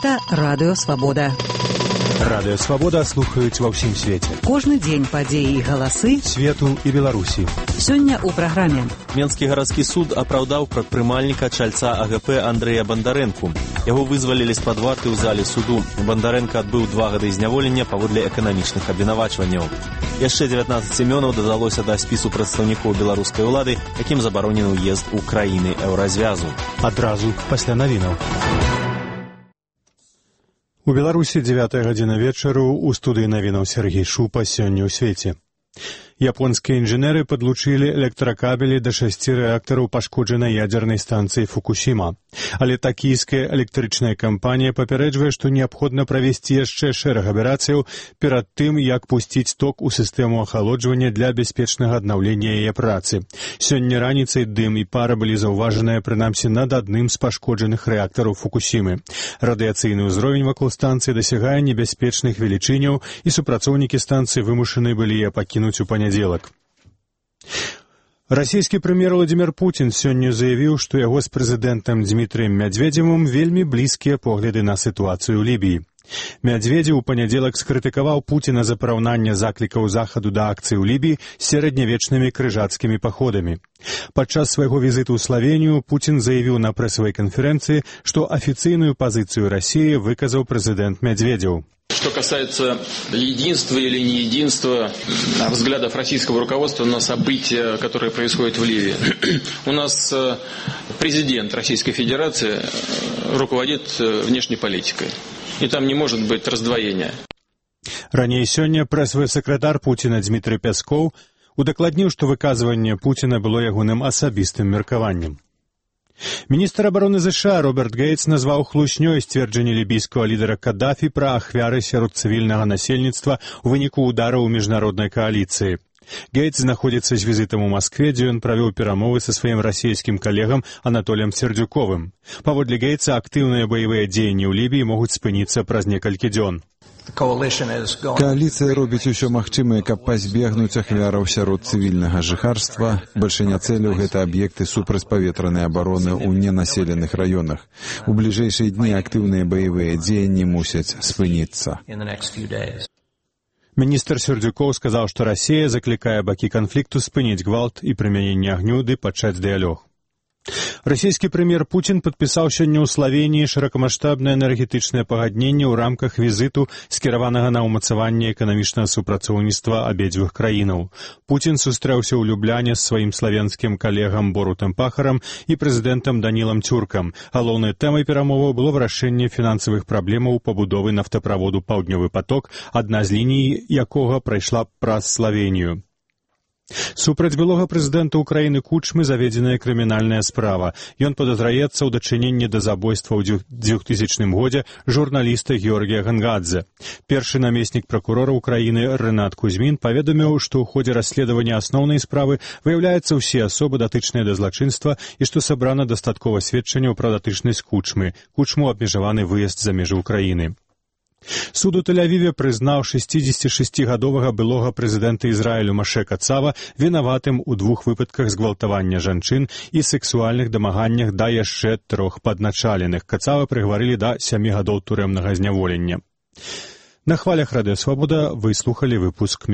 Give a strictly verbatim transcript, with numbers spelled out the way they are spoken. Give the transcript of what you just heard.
Гэта Радыё Свабода. Радыё Свабода слухаюць ва ўсім свеце. Кожны дзень падзеі і галасы свету і Беларусі. Сёння ў праграме. Менскі гарадскі суд апраўдаў прадпрымальніка чальца А Г П Андрэя Бандарэнку. Яго вызвалілі з-пад варты ў зале суду. Бандарэнка адбыў два гады зняволення паводле эканамічных абвінавачванняў. Яшчэ дзевятнаццаць імёнаў дадалося да спісу прадстаўнікоў беларускай улады, якім забаронены ўезд у краіны еўразвязу. Адразу пасля навінаў. У Беларусі дзевятая гадзіна вечару, у студыі навінаў Сергей Шупа. Сёння ў свеце. Японскія інжынеры падлучылі электракабелі да шасці рэактараў пашкоджанай ядзернай станцыі Фукусіма. Але такійская электрычная кампанія папярэджвае, што неабходна правесці яшчэ шэраг аперацыяў перад тым, як пусціць ток у сістэму ахалоджвання для бяспечнага аднаўлення яе працы. Сёння раніцай дым і пара былі заўважаныя прынамсі над адным з пашкоджаных рэактараў Фукусімы. Радыяцыйны ўзровень вакол станцыі дасягае небяспечных велічыняў, і супрацоўнікі станцыі вымушаны былі яе пакінуць у панядзелак. Расійскі прэм'ер Владзімір Пуцін сёння заявіў, што яго з прэзідэнтам Дзмітрыем Мядзведзевым вельмі блізкія погляды на сітуацыю ў Лібіі. Мядзведзеў у панядзелак скрытыкаваў Пуціна за параўнанне заклікаў захаду да акцый у Лібіі з сярэднявечнымі крыжацкімі паходамі. Падчас свайго візіту ў Славенію Пуцін заявіў на прэсавай канферэнцыі, што афіцыйную пазіцыю Расіі выказаў прэзідэнт Мядзведзеў. Что касается единства или неединства взглядов российского руководства на события, которые происходят в Ливии. У нас президент Российской Федерации руководит внешней политикой. И там не может быть раздвоения. Раней сёння прэсавы сакратар Пуціна Дмітрый Пяскоў удакладніў, што выказванне Пуціна было ягоным асабістым меркаваннем. Міністр абароны ЗША Роберт Гейтс назваў хлуснёй сцверджанне лібійскага лідара Каддафі пра ахвяры сярод цывільнага насельніцтва ў выніку ўдараў міжнароднай кааліцыі. Гейтс знаходзіцца з візітам у Маскве, дзе ён правёў перамовы са сваім расійскім калегам Анатоліем Сердзюковым. Паводле Гейтса, актыўныя баявыя дзеянні ў Лібіі могуць спыніцца праз некалькі дзён. Кааліцыя робіць усё магчымае, каб пазбегнуць ахвяраў сярод цывільнага жыхарства. Бальшыня цэляў гэта аб'екты супрацьпаветранай абароны ў ненаселеных раёнах. У бліжэйшыя дні актыўныя баявыя дзеянні мусяць спыніцца. Міністр Сердзюкоў сказаў, што Расія заклікае бакі канфлікту спыніць гвалт і прымяненне агню ды пачаць дыялог. Расійскі прэм'ер Пуцін падпісаў сёння ў Славенії шырокамаштабнае энергетычнае пагадненне ў рамках візіту, скіраванага на ўмацаванне эканамічнага супрацоўніцтва абедзвюх краінаў. Пуцін сустрэўся ў Любляне з сваім славенскім калегам Борутам Пахарам і прэзідэнтам Данілам Цюркам. Галоўнай тэмай перамоваў было вырашэнне фінансавых праблемаў пабудовы нафтаправоду «Паўднёвы поток», адна з ліній якога прайшла праз Славенію. Супраць былога прэзідэнта ўкраіны Кучмы заведзеная крымінальная справа. Ён падазраецца ў дачыненні да забойства ў двухтысячным годзе журналіста Георгія Гангадзе. Першы намеснік пракурора ўкраіны Рэнат Кузьмін паведаміў, што ў ходзе расследавання асноўнай справы выяўляюцца ўсе асобы, датычныя да злачынства, і што сабрана дастаткова сведчанняў пра датычнасць Кучмы. Кучму абмежаваны выезд за межы ўкраіны. Суд у Тель-Авіве прызнаў шэсцідзесяцішасцігадовага былога прэзідэнта Ізраілю Маше Кацава вінаватым у двух выпадках згвалтавання жанчын і сексуальных дамаганнях да яшчэ трох падначаленых. Кацава прыгварылі да сямі гадоў турэмнага зняволення. На хвалях Радыё Свабода вы слухалі выпуск